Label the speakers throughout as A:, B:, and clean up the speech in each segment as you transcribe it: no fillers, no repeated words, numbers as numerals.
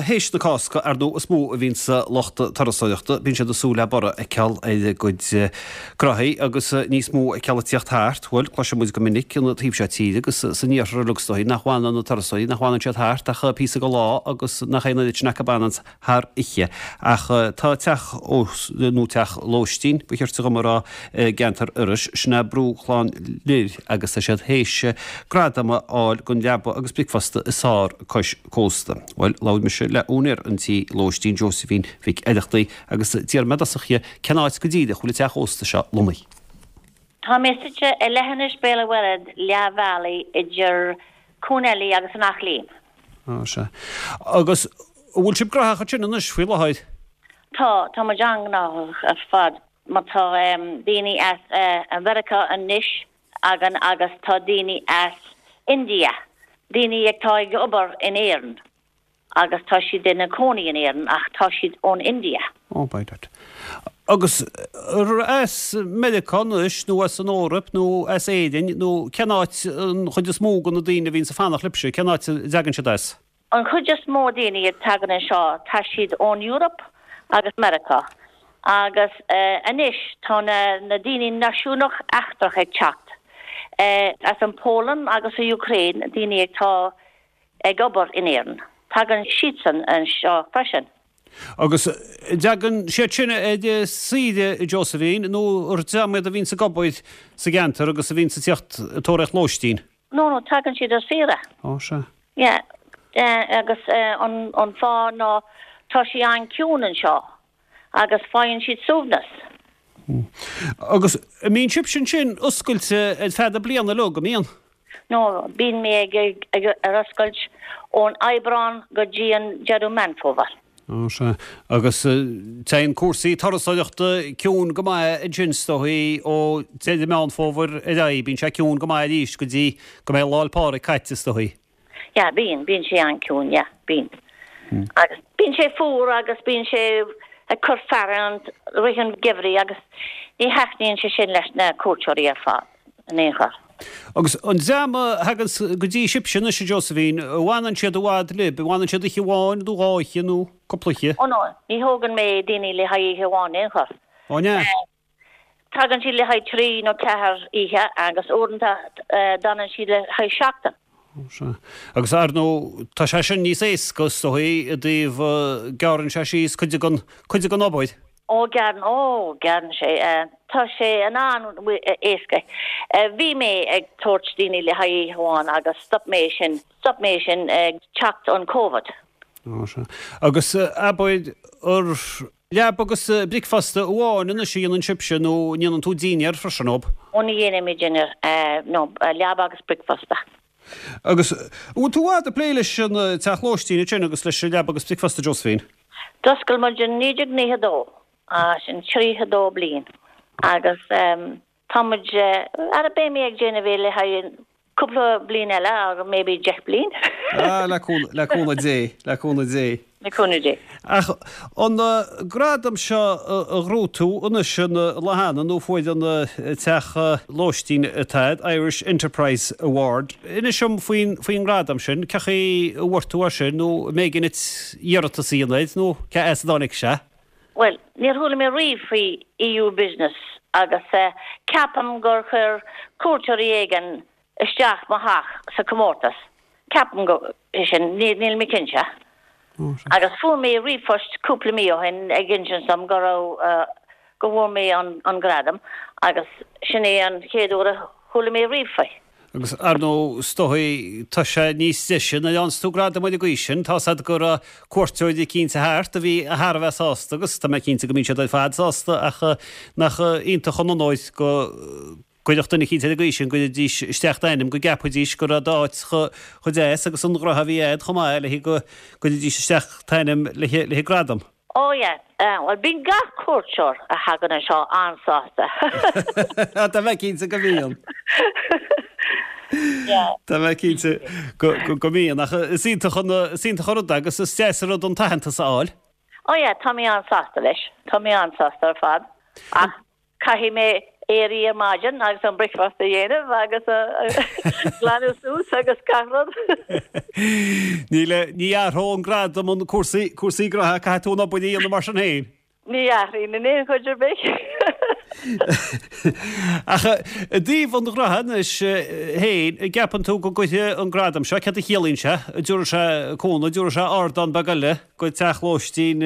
A: théis na Cásca, ar ndóigh, is mó a bhíonns lucht turasóireachta, bíonn siad ag súil le borradh a fheiceáil ar a gcuid gnóthaí agus níos mó a fheiceáil ag tíocht thart. Bhuel, cloiseann muid go minic an taobh seo tíre agus san iarthar uilig is dóigh nach bhfanann na turasóirí, nach bhfanann siad thart ach píosa go lá agus nach é an oiread sin acu a fhananns thar oíche. Ach tá teach ósta, nó teach lóistín, ba chirte dhom a rá, i gceantar Iorrais, sin é Brú Chlann Lir agus tá siad théis gradam a fháil don leaba agus bricfeasta is fearr cois cósta. Bhuel, labhair mise le úinéir an tí lóistín, Josephine Mhic Oireachtaigh, agus d'iarr mé i dtosach dhi cén áit go díreach a bhfuil an teach ósta seo lonnaithe.
B: Tá mé suite i leithinis Béal an Mhuirthead, leath bhealaigh idir Cuan Eilí agus an Eachléim.
A: Á, sea. Agus an bhfuil sibh gnóthach ansin anois faoi láthair?
B: Tá, tá muid an-ghnóthach ar fad. Mar tá daoine as Mheiriceá anois againn agus tá daoine as India, daoine atá ag obair in Éirinn agus tá siad ina cónaí in Éirinn ach tá siad ón India.
A: Oh, by dad. Agus as Meiriceá anois nó as an Eoraip nó as Éirinn nó cén áit an chuid is mó de na daoine a bhíonns ag fanacht libhse, cén áit a dtagann siad as?
B: An chuid is mó daoine a tagann anseo tá siad ón Europe agus Meiriceá agus anois tá na daoine náisiúnach eachtrach ag teacht as an Poland agus an Ukraine daoine atá ag obair in Éirinn tagann siadsan anseo freisin.
A: Agus an dtagann siad sin ar saoire a Josephine nó ar dream iad a bhíonns ag obair sa gceantar agus a bhíonns ag tíocht ag tóraíocht lóistín?
B: No, no, tagann siad ar saoire.
A: Ó, sea.
B: Yeah, agus an fáth ná tá sé an-ciúin anseo agus faigheann siad suaimhneas.
A: Agus an mbíonn sibhse ansin oscailte ar feadh na bliana uilig, an mbíonn?
B: No, bíonn mé ag, ar oscailt ón Aibreán go dtí an deireadh Meán Fómhair.
A: Ó sea. Agus téann cúrsaí turasóireachta ciúin go maith ansin is dóigh ó deireadh Meán Fómhair ar aghaidh. Bíonn sé ciúin go maith arís go dtí go mbeidh Lá 'le Pádraig caite is dóigh.
B: Yeah, bíonn, bíonn sé an-ciúin, yeah, bíonn. Agus bíonn sé fuar agus bíonn sé ag cur fearthainn rith an gheimhridh agus ní thaitníonn sé sin leis na cuairteoirí ar fad. in aon chor.
A: Agus an dream a thaganns go dtí sibhse anois, a Josephine, an bhfanann siad i bhfad libh, an bhfanann siad oíche amháin nó dhá oíche nó cúpla oíche?
B: Ó no, ní thógann mé daoine le haghaidh oíche amháin in aon chor.
A: Ó an ea?
B: Tagann siad le haghaidh trí nó ceathair oíche agus uaireanta d'fhanann siad le haghaidh seachtain.
A: Ó sea. Agus ar ndóigh tá sé sin níos éasca is dóigh i dtaobh gearrann sé síos cuid den, cuid den obair.
B: Ó gearrann, ó gearrann sé. Tá sé an-éasca. Bhí mé ag tabhairt daoine le haghaidh oíche amháin agus stop mé sin, stop mé sin ag teacht an Covid.
A: Ó sea. Agus abair ar Leaba agus bricfeasta amháin anois a dhéanann sibhse nó an ndéanann tú dinnéar freisin, ob?
B: Ó ní dhéanaim mé dinnéar, no, leaba agus bricfeasta.
A: Agus an bhfuil tú i bhfad ag plé leis an teach lóistín ansin agus leis an leaba agus bricfeasta, Josephine?
B: D'oscail muid in 1992, sin 32 bliain agus Tá muid, ara beidh mé ag déanamh é le haghaidh cúpla bliain eile agus maybe 10 bliain.
A: Ah, le cúnamh, le cúnamh Dé, le cúnamh Dé.
B: Le cúnamh Dé.
A: Ach an gradam seo a ghnóthaigh tú anois an lá cheana nó fuair an teach lóistín atá agat, Irish Enterprise Award, inis dom faoin, faoin ngradam sin, cén chaoi a bhfuair tú é sin nó an mb'éigean duit iarratas a dhéanamh air nó cá as a dtáinig sé?
B: Bhuel, níor chuala mé riamh faoi EU Business agus ceapaim gur chuir cuairteoirí éigin isteach mo theach sa comórtas. Ceapaim go é sin, níl mé cinnte. Agus fuair mé ríomhphost cúpla mí ó shin ag insint dom go raibh, go bhfuair mé an gradam agus sin é an chéad uair a chuala mé riamh faoi.
A: Agus ar ndóigh, is dóigh, tá sé níos deise nuair a fhaigheanns tú gradam ar an gcaoi sin. Tá's a'd go raibh cuairteoirí eicínt thart a bhí thar a bheith sásta agus tá mé cinnte go mbíonn siad ar fad sásta ach nach iontach an onóir go gcuirfeadh duine eicínt ar an gcaoi sin, go gcuirfidís isteach d'ainm, go gceapfaidís go raibh d'áit chomh deas agus an ghnóthaí a bhí a'd chomh maith le go gcuirfidís isteach t'ainm le haghaidh gradam.
B: Oh yeah, bhuel bíonn gach cuairteoir a thagann anseo an-sásta.
A: Tá mé cinnte go mbíonn.
B: Yeah.
A: Tá mé cinnte go mbíonn ach is iontach an is iontach an rud é agus is deas an rud an t-aitheantas a fháil.
B: Oh yeah, tá mé an-sásta leis. Tá mé an-sásta ar fad. Ach caithfidh mé. Éirí ar maidin agus an bricfeasta a dhéanamh agus glanadh suas agus gach rud.
A: Níl, ní athróidh an gradam an cúrsaí, cúrsaí gnoithe, caithfidh tú an obair a dhéanamh mar sin féin.
B: Ní athraíonn in aon chor ar bith.
A: Ach i dtaobh an ghnótha anois féin, an gceapann tú go gcuirfidh an gradam seo, céard a chiallaíonn sé, an dtabharfaidh sé cúnamh, an dtabharfaidh sé ardán beag eile go teach lóistín,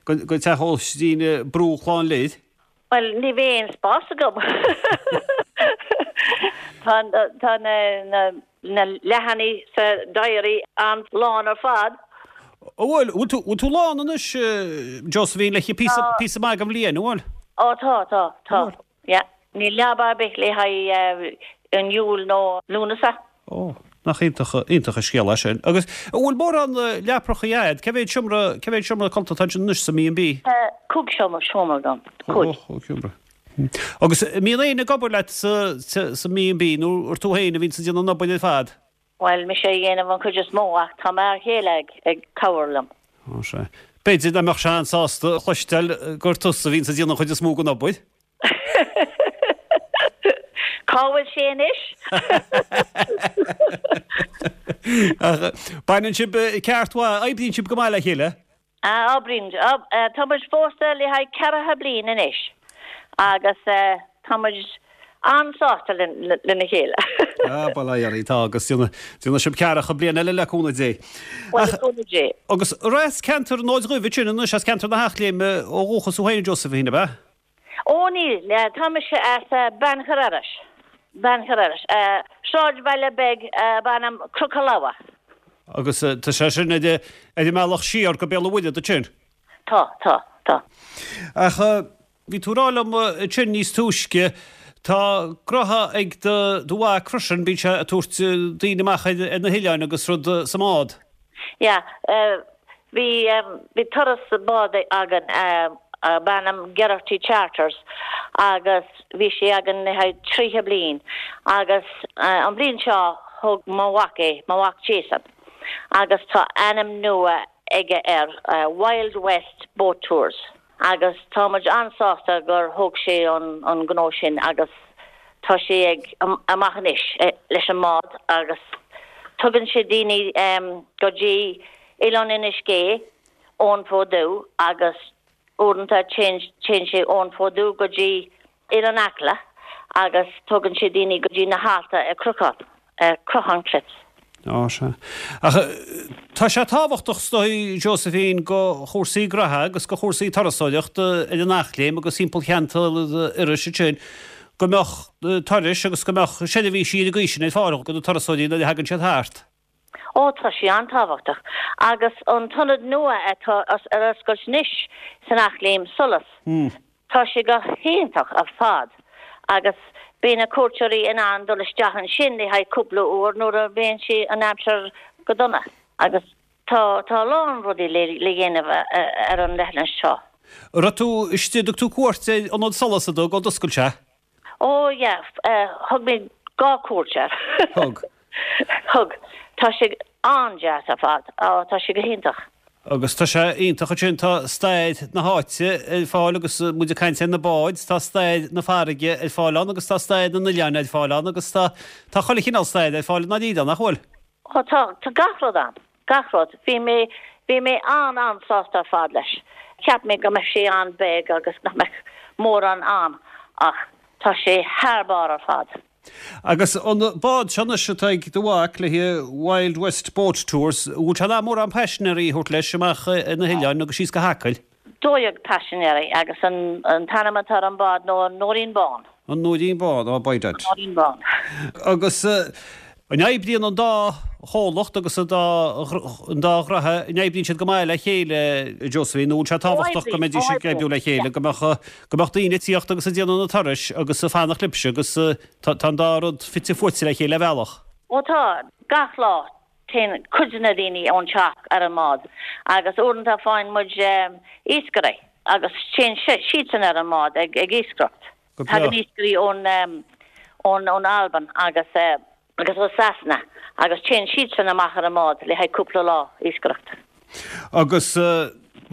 A: go teach lóistín Brú Chlann Lir?
B: Bhuel, ní bheidh aon spás agam. Tá tá na na na leathanaigh sa diary an-lán ar fad.
A: Ó bhuel, bhfuil tú bhfuil tú lán anois, Josephine, le píosa píosa maith den bhliain, an bhfuil?
B: Ó tá, tá, tá. Yeah. Níl leaba ar bith le haghaidh an Iúil nó Lúnasa.
A: Ó, nach iontach, iontach an scéal é sin. Agus an bhfuil mórán leaprachaí a'd? Cé mhéad seomra, cé mhéad seomra codlata atá ansin anois sa mB&B?
B: Tá cúig seomra, seomra agam, cúig.
A: Ó, cúig seomra. Agus an mbíonn éinne ag obair leat sa, sa mB&B nó ar tú féin a bhíonns ag déanamh an obair ar fad?
B: Bhuel, mise a dhéanamh an chuid is mó ach tá m'fhear chéile ag, ag cabhair liom.
A: Ó, sea. B'fhéidir nach mbeadh sé an-sásta a chloisteáil gur tusa a bhíonns ag déanamh an chuid is mó den obair.
B: Cá bhfuil sé anois?
A: Ach baineann sibh ceart mhaith, oibríonn sibh go maith le chéile?
B: Ah, oibríonn. Tá muid pósta le haghaidh ceathracha bliain anois agus tá muid an-sásta lena chéile.
A: Ah, bail ó Dhia oraibh, tá agus déanfaidh sibh ceathracha bliain eile le cúnamh Dé.
B: Bhuel, le cúnamh Dé.
A: Agus as ceantar an Fhóid Dhuibh ansin anois, as ceantar na hEachléime ó dhúchas thú féin, Josephine, ab ea?
B: Ó níl, tá mise as Beannchar Iorrais, Beannchar Iorrais, sráidbhaile beag ab ainm Cnoc an Leamha.
A: Agus tá sé sin ar an mbealach siar go Béal an Mhuirthead ansin?
B: Tá, tá, tá.
A: Ach bhí tú ag rá liom ansin níos túisce, tá gnótha ag do mhac freisin, bíonn sé ag tabhairt daoine amach ar na hoileáin agus rud sa mbád.
B: Yeah, bhí, bhí turas bád againn ab ainm Geraghty Charters agus bhí sé againn le haghaidh 30 bliain agus an bhliain seo thóg mo mhac é, mo mhac Jason, agus tá ainm nua aige air, Wild West Boat Tours. Agus tá muid an-sásta gur thóg sé an gnó sin agus tá sé ag amach anois leis an mbád agus tugann sé daoine go dtí Oileán Inis Gé ón Fód Dubh agus uaireanta téann sé ón Fód Dubh go dtí Oileán Acla agus tugann sé daoine go dtí na hAlta ar Cruachan, ar Croaghan Cliffs.
A: Á, sea. Ach tá sé tábhachtach, is dóigh, Josephine, go chúrsaí graithe agus go chúrsaí turasóireachta ar an Eachléim agus thimpeall cheantar Iorrais ansin, go mbeadh turais agus go mbeadh seirbhísí ar an gcaoi sin ar fáil do na turasóirí nuair a thagann siad thart.
B: Ó, tá sé an-tábhachtach. Agus an t-ionad nua atá ar oscailt anois san Eachléim, Solas, tá sé go hiontach ar fad agus beidh na cuairteoirí in ann dul isteach ansin le haghaidh cúpla uair nuair a bhíonn sé an aimsir go dona. Agus tá tá a lán rudaí le le dhéanamh ar an leithinis seo.
A: An raibh tú istigh, dtug tú cuairt ar ionad Solas an dtug ó d'oscail sé?
B: Ó yeah, thug mé dhá cuairt air.
A: Thug.
B: Thug. Tá sé an-deas ar fad. Á, tá sé go hiontach.
A: Agus tá sé iontach ansin, tá stair na háite ar fáil agus muid ag caint ar na báid, tá stair na farraige ar fáil ann agus tá stair na n-oileán ar fáil ann agus tá, tá chuile chineál stair ar fáil i ndáiríre ann, nach bhfuil?
B: Ó tá, tá gach rud ann. Gach rud. Bhí mé, bhí mé an-an-sásta ar fad leis. Cheap mé go mbeadh sé an-bheag agus nach mbeadh mórán ann ach tá sé thar barr ar fad.
A: Agus an bád seo anois atá ag do mhac le Wild West Boat Tours, an bhfuil sé in ann mórán paisinéirí a thabhairt leis amach ar na hoileáin agus síos go hAcaill?
B: 12 paisinéirí agus an t-ainm atá ar an bád ná an Nóirín Bán.
A: An Nóirín Bán, oh by dad.
B: An Nóirín Bán.
A: Agus an oibríonn an dá chomhlacht agus an dá an dá ghraithe, an oibríonn siad go maith le chéile, Josephine, nó an bhfuil sé tábhachtach go mbeidís ag oibriú le chéile, go mbeadh go mbeadh daoine ag tíocht agus ag déanamh na turais agus ag fanacht libhse agus tá tá an dá rud fite fuaite le chéile ar bhealach.
B: Ó tá, gach lá téann cuid de na daoine ón teach ar an mbád agus uaireanta faigheann muid iascairí agus téann siadsan ar an mbád ag iascaireacht.
A: Go breá.
B: Tagann iascairí ón ón Albain agus agus ó Sasana agus téann siadsan amach ar an mbád le haghaidh cúpla lá iascaireacht.
A: Agus.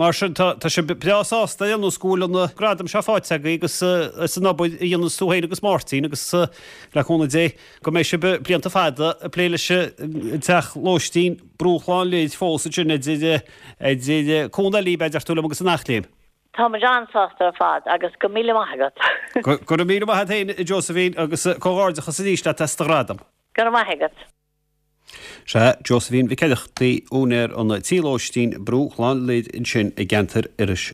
A: Mar sin, tá sibh breá sásta ar aon nós go bhfuil an gradam seo faighte agaibh agus as an obair a dhéananns tú féin agus Máirtín agus le cúnamh Dé go mbeidh sibh blianta fada ag plé leis an teach lóistín Brú Chlann Lir fós ansin idir idir Cuan Eilí, b'fhéidir tú liom agus an Eachléim.
B: Tá muid an-sásta ar fad agus go míle maith agat.
A: Go raibh míle maith agat féin, a Josephine, agus comhghairdeachas arís leat as do ghradam.
B: Go raibh maith agat.
A: Sea, Josephine Mhic Oireachtaigh, úinéir an tí lóistín Brú Chlann Lir ansin i gceantar Iorrais.